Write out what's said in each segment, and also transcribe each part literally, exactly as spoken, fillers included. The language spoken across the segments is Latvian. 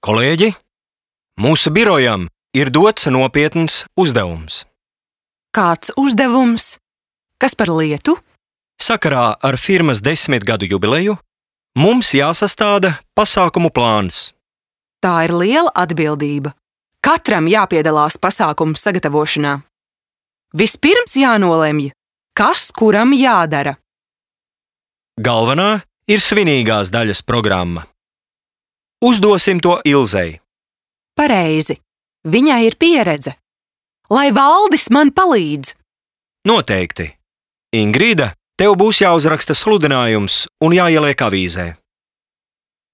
Kolēģi, mūsu birojam ir dots nopietns uzdevums. Kāds uzdevums? Kas par lietu? Sakarā ar firmas desmitgadu jubileju mums jāsastāda pasākumu plāns. Tā ir liela atbildība. Katram jāpiedalās pasākumu sagatavošanā. Vispirms jānolemj, kas kuram jādara. Galvenā ir svinīgās daļas programma. Uzdosim to Ilzei. Pareizi. Viņai ir pieredze. Lai Valdis man palīdz. Noteikti. Ingrīda, tev būs jāuzraksta sludinājums un jāieliek avīzē.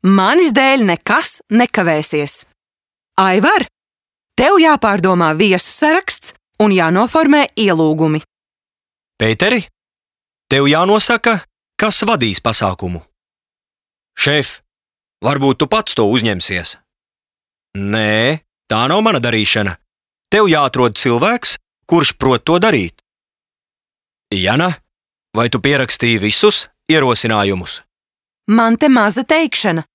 Manis dēļ nekas nekavēsies. Aivar, tev jāpārdomā viesu saraksts un jānoformē ielūgumi. Pēteri, tev jānosaka, kas vadīs pasākumu. Šef, varbūt tu pats to uzņemsies? Nē, tā nav mana darīšana. Tev jāatrod cilvēks, kurš prot to darīt. Jana, vai tu pierakstīji visus ierosinājumus? Man te maza teikšana.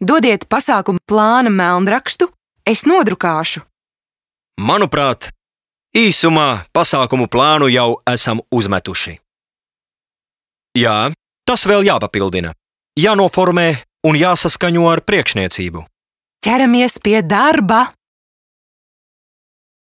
Dodiet pasākumu plāna melnrakstu, es nodrukāšu. Manuprāt, īsumā pasākumu plānu jau esam uzmetuši. Jā, tas vēl jāpapildina. Jānoformē un jāsaskaņo ar priekšniecību. Ķeramies pie darba!